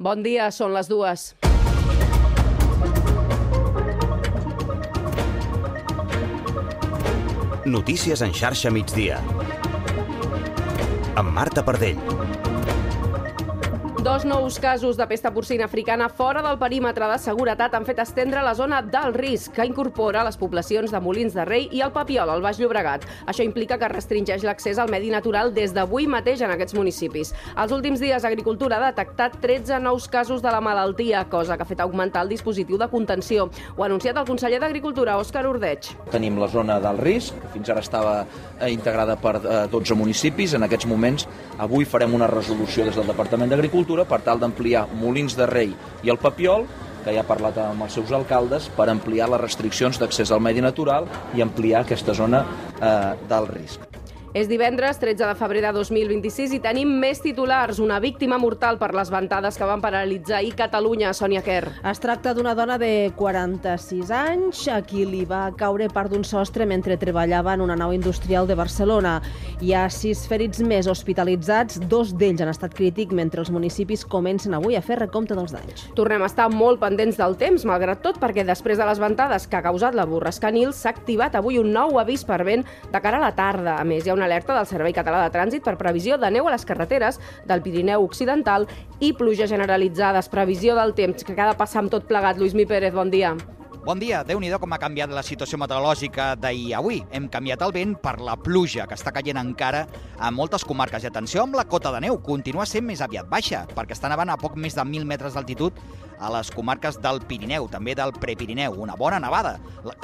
Bon dia, són les 2. Notícies en xarxa migdia. Amb Marta Pardell. 2 nous casos de pesta porcina africana fora del perímetre de seguretat han fet estendre la zona d'alt risc, que incorpora les poblacions de Molins de Rei i el Papiol, al Baix Llobregat. Això implica que restringeix l'accés al medi natural des d'avui mateix en aquests municipis. Els últims dies, Agricultura ha detectat 13 nous casos de la malaltia, cosa que ha fet augmentar el dispositiu de contenció. Ho ha anunciat el conseller d'Agricultura, Òscar Ordeig. Tenim la zona d'alt risc, que fins ara estava integrada per 12 municipis. En aquests moments, avui farem una resolució des del Departament d'Agricultura per tal d'ampliar Molins de Rei i el Papiol, que ja ha parlat amb els seus alcaldes, per ampliar les restriccions d'accés al medi natural i ampliar aquesta zona d'alt risc. És divendres, 13 de febrer de 2026, i tenim més titulars. Una víctima mortal per les ventades que van paralitzar ahir Catalunya, Sònia Quer. Es tracta d'una dona de 46 anys a qui li va caure part d'un sostre mentre treballava en una nau industrial de Barcelona. Hi ha 6 ferits més hospitalitzats, 2 d'ells han estat crítics, mentre els municipis comencen avui a fer recompte dels danys. Tornem a estar molt pendents del temps, malgrat tot, perquè després de les ventades que ha causat la borrasca Nil, s'ha activat avui un nou avís per vent de cara a la tarda. A més, hi ha una alerta del Servei Català de Trànsit per previsió de neu a les carreteres del Pirineu Occidental i pluja generalitzades. Previsió del temps, que ha de passar amb tot plegat. Lluïsmi Pérez, bon dia. Bon dia. Déu-n'hi-do com ha canviat la situació meteorològica d'ahir a avui. Hem canviat el vent per la pluja, que està caient encara a moltes comarques. I atenció amb la cota de neu, continua sent més aviat baixa, perquè està nevant a poc més de 1.000 metres d'altitud a les comarques del Pirineu, també del Prepirineu. Una bona nevada.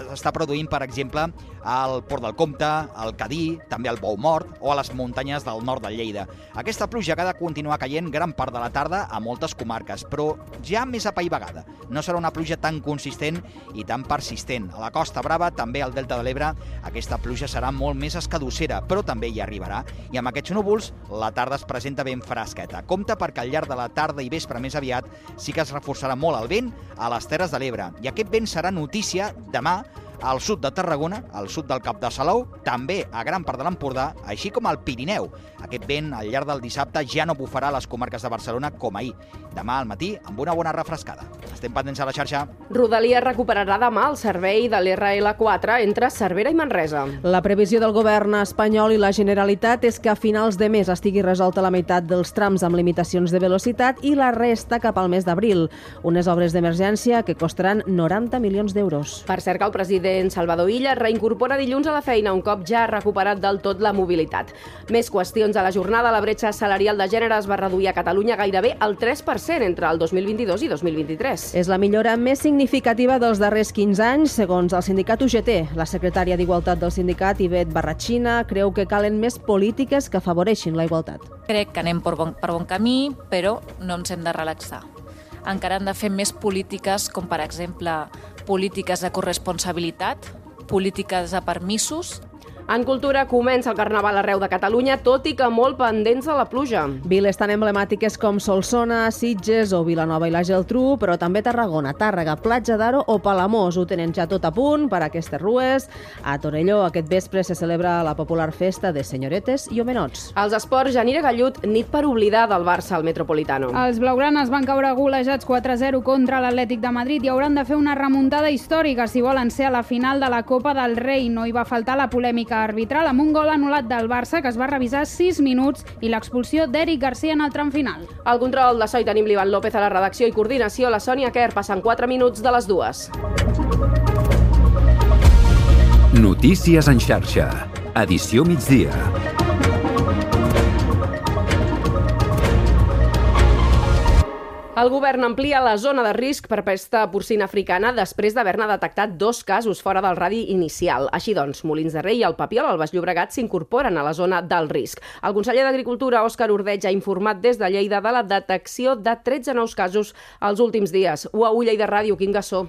S'està produint, per exemple, al Port del Comte, al Cadí, també al Bou Mort o a les muntanyes del nord de Lleida. Aquesta pluja ha de continuar caient gran part de la tarda a moltes comarques, però ja més apaivagada. No serà una pluja tan consistent i tan persistent. A la Costa Brava, també al Delta de l'Ebre, aquesta pluja serà molt més escadussera, però també hi arribarà. I amb aquests núvols, la tarda es presenta ben fresqueta. Compte perquè al llarg de la tarda i vespre més aviat sí que es reforçarà molt el vent a les Terres de l'Ebre. I aquest vent serà notícia demà al sud de Tarragona, al sud del Cap de Salou, també a gran part de l'Empordà, així com al Pirineu. Aquest vent, al llarg del dissabte, ja no bufarà a les comarques de Barcelona com ahir. Demà al matí, amb una bona refrescada. Estem pendents a la xarxa. Rodalies recuperarà demà el servei de l'RL4 entre Cervera i Manresa. La previsió del govern espanyol i la Generalitat és que a finals de mes estigui resolta la meitat dels trams amb limitacions de velocitat i la resta cap al mes d'abril. Unes obres d'emergència que costaran 90 milions d'euros. Per cert, que el president Salvador Illa reincorpora dilluns a la feina un cop ja ha recuperat del tot la mobilitat. Més qüestions a la jornada. La bretxa salarial de gènere es va reduir a Catalunya gairebé al 3% entre el 2022 i 2023. És la millora més significativa dels darrers 15 anys, segons el sindicat UGT. La secretària d'Igualtat del sindicat, Ivet Barratxina, creu que calen més polítiques que afavoreixin la igualtat. Crec que anem per bon camí, però no ens hem de relaxar. Encara hem de fer més polítiques, com per exemple polítiques de corresponsabilitat, polítiques de permisos. En cultura comença el Carnaval arreu de Catalunya, tot i que molt pendents de la pluja. Viles tan emblemàtiques com Solsona, Sitges o Vilanova i la Geltrú, però també Tarragona, Tàrrega, Platja d'Aro o Palamós. Ho tenen ja tot a punt per a aquestes rues. A Torelló aquest vespre se celebra la popular festa de senyoretes i homenots. Els esports, Janira Gallut, nit per oblidar del Barça al Metropolitano. Els blaugranes van caure golejats 4-0 contra l'Atlètic de Madrid i hauran de fer una remuntada històrica si volen ser a la final de la Copa del Rei. No hi va faltar la polèmica arbitral amb un gol anul·lat del Barça que es va revisar 6 minuts i l'expulsió d'Eric Garcia en el tram final. Al control de so hi tenim l'Ivan López a la redacció i coordinació, la Sònia Quer, passen 4 minuts de les 2. Notícies en xarxa. Edició migdia. El govern amplia la zona de risc per pesta porcina africana després d'haver-ne detectat 2 casos fora del radi inicial. Així doncs, Molins de Rei i el Papiol al Baix Llobregat s'incorporen a la zona d'alt risc. El conseller d'Agricultura, Òscar Ordeig, ha informat des de Lleida de la detecció de 13 nous casos els últims dies. UAU Lleida Ràdio, Quim Gassó.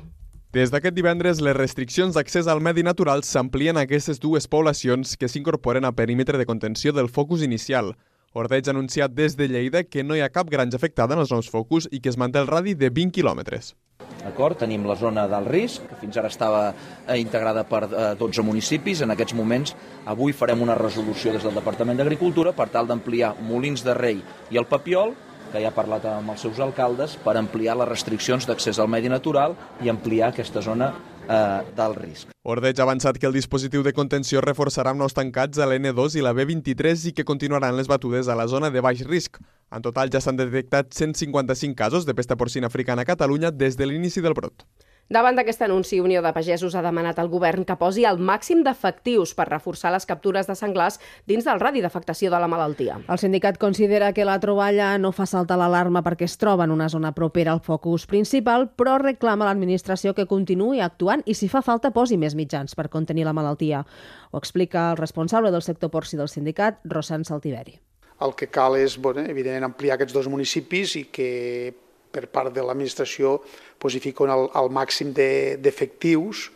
Des d'aquest divendres, les restriccions d'accés al medi natural s'amplien a aquestes 2 poblacions que s'incorporen a perímetre de contenció del focus inicial. Ordeig ha anunciat des de Lleida que no hi ha cap granja afectada en els nous focus i que es manté el radi de 20 quilòmetres. D'acord? Tenim la zona d'alt risc, que fins ara estava integrada per 12 municipis. En aquests moments, avui farem una resolució des del Departament d'Agricultura per tal d'ampliar Molins de Rei i el Papiol, que ja ha parlat amb els seus alcaldes per ampliar les restriccions d'accés al medi natural i ampliar aquesta zona d'alt risc. Ordeig ha avançat que el dispositiu de contenció reforçarà amb nous tancats a l'N2 i la B23 i que continuaran les batudes a la zona de baix risc. En total ja s'han detectat 155 casos de pesta porcina africana a Catalunya des de l'inici del brot. Davant d'aquest anunci, Unió de Pagesos ha demanat al govern que posi el màxim d'efectius per reforçar les captures de senglars dins del radi d'afectació de la malaltia. El sindicat considera que la troballa no fa saltar l'alarma perquè es troba en una zona propera al focus principal, però reclama a l'administració que continuï actuant i, si fa falta, posi més mitjans per contenir la malaltia. Ho explica el responsable del sector porcí del sindicat, Rosan Saltiveri. El que cal és, evidentment, ampliar aquests dos municipis i que per part de l'administració hi fiquen el màxim d'efectius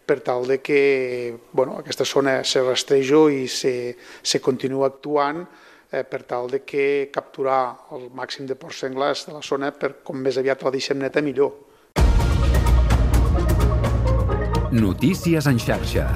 per tal de que aquesta zona se rastreja i se continua actuant per tal de que capturar el màxim de porcs senglars de la zona per com més aviat la deixem neta millor. Notícies en xarxa.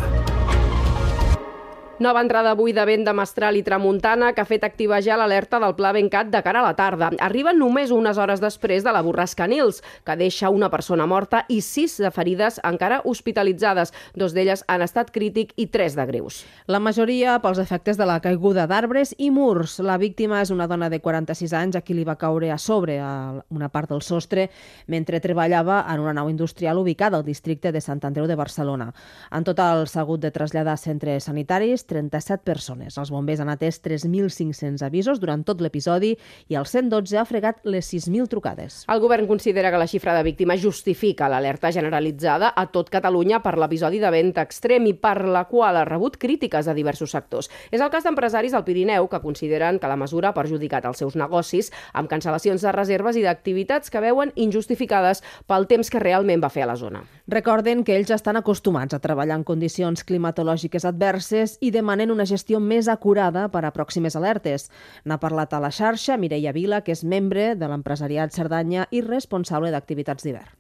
Nova entrada avui de vent de mestral i tramuntana que ha fet activejar l'alerta del Pla Bencat de cara a la tarda. Arriba només unes hores després de la borrasca Nils, que deixa una persona morta i 6 de ferides encara hospitalitzades. 2 d'elles han estat crític i 3 de greus. La majoria pels efectes de la caiguda d'arbres i murs. La víctima és una dona de 46 anys a qui li va caure a sobre una part del sostre mentre treballava en una nau industrial ubicada al districte de Sant Andreu de Barcelona. En total s'ha hagut de traslladar a centres sanitaris 37 persones. Els bombers han atès 3.500 avisos durant tot l'episodi i el 112 ha fregat les 6.000 trucades. El govern considera que la xifra de víctimes justifica l'alerta generalitzada a tot Catalunya per l'episodi de vent extrem i per la qual ha rebut crítiques de diversos sectors. És el cas d'empresaris al Pirineu que consideren que la mesura ha perjudicat els seus negocis amb cancel·lacions de reserves i d'activitats que veuen injustificades pel temps que realment va fer a la zona. Recorden que ells estan acostumats a treballar en condicions climatològiques adverses i demanen una gestió més acurada per a pròximes alertes. N'ha parlat a la xarxa Mireia Vila, que és membre de l'empresariat Cerdanya i responsable d'activitats d'hivern.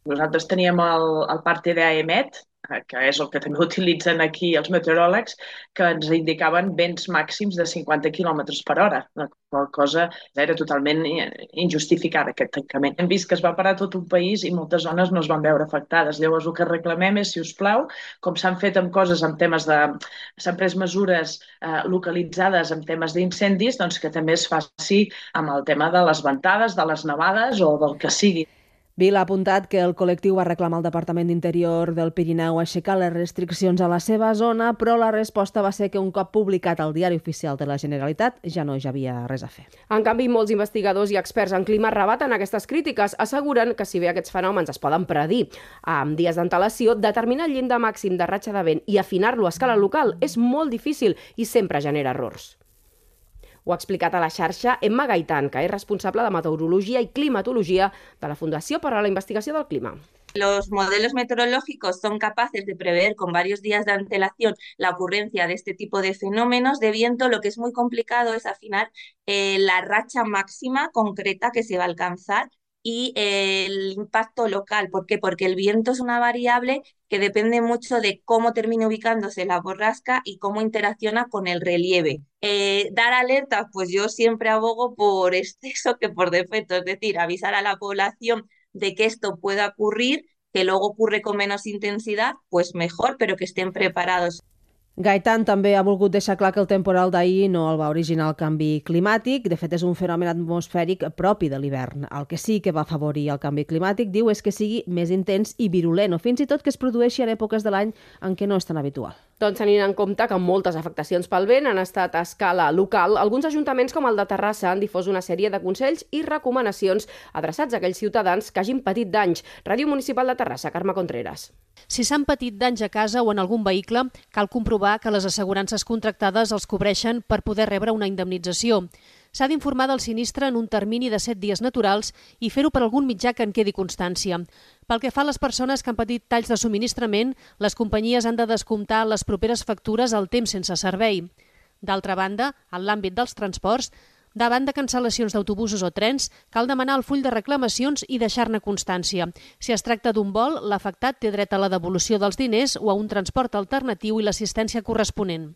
Nosaltres teníem el parte d'AEMET, que és el que també utilitzen aquí els meteoròlegs, que ens indicaven vents màxims de 50 km per hora. La qual cosa era totalment injustificada, aquest tancament. Hem vist que es va parar tot un país i moltes zones no es van veure afectades. Llavors, el que reclamem és, si us plau, com s'han fet amb coses, amb temes de... s'han pres mesures localitzades amb temes d'incendis, doncs que també es faci amb el tema de les ventades, de les nevades o del que sigui. Vila ha apuntat que el col·lectiu va reclamar al Departament d'Interior del Pirineu aixecar les restriccions a la seva zona, però la resposta va ser que un cop publicat al Diari Oficial de la Generalitat ja no hi havia res a fer. En canvi, molts investigadors i experts en clima rebaten aquestes crítiques, asseguren que si bé aquests fenòmens es poden predir amb dies d'antelació, determinar el llindar màxim de ratxa de vent i afinar-lo a escala local és molt difícil i sempre genera errors. Ho ha explicat a la xarxa Emma Gaitan, que és responsable de meteorologia i climatologia de la Fundació per a la Investigació del Clima. Los modelos meteorológicos son capaces de prever con varios días de antelación la ocurrencia de este tipo de fenómenos de viento. Lo que es muy complicado es afinar la racha máxima concreta que se va a alcanzar y el impacto local. ¿Por qué? Porque el viento es una variable que depende mucho de cómo termine ubicándose la borrasca y cómo interacciona con el relieve. Dar alertas, pues yo siempre abogo por exceso que por defecto, es decir, avisar a la población de que esto pueda ocurrir, que luego ocurre con menos intensidad, pues mejor, pero que estén preparados. Gaitan també ha volgut deixar clar que el temporal d'ahir no el va originar el canvi climàtic. De fet, és un fenomen atmosfèric propi de l'hivern. El que sí que va afavorir el canvi climàtic, diu, és que sigui més intens i virulent, o fins i tot que es produeixi en èpoques de l'any en què no és tan habitual. Doncs tenint en compte que moltes afectacions pel vent han estat a escala local, alguns ajuntaments com el de Terrassa han difós una sèrie de consells i recomanacions adreçats a aquells ciutadans que hagin patit danys. Ràdio Municipal de Terrassa, Carme Contreras. Si s'han patit danys a casa o en algun vehicle, cal comprovar que les assegurances contractades els cobreixen per poder rebre una indemnització. S'ha d'informar del sinistre en un termini de 7 dies naturals i fer-ho per algun mitjà que en quedi constància. Pel que fa a les persones que han patit talls de subministrament, les companyies han de descomptar les properes factures al temps sense servei. D'altra banda, en l'àmbit dels transports, davant de cancel·lacions d'autobusos o trens, cal demanar el full de reclamacions i deixar-ne constància. Si es tracta d'un vol, l'afectat té dret a la devolució dels diners o a un transport alternatiu i l'assistència corresponent.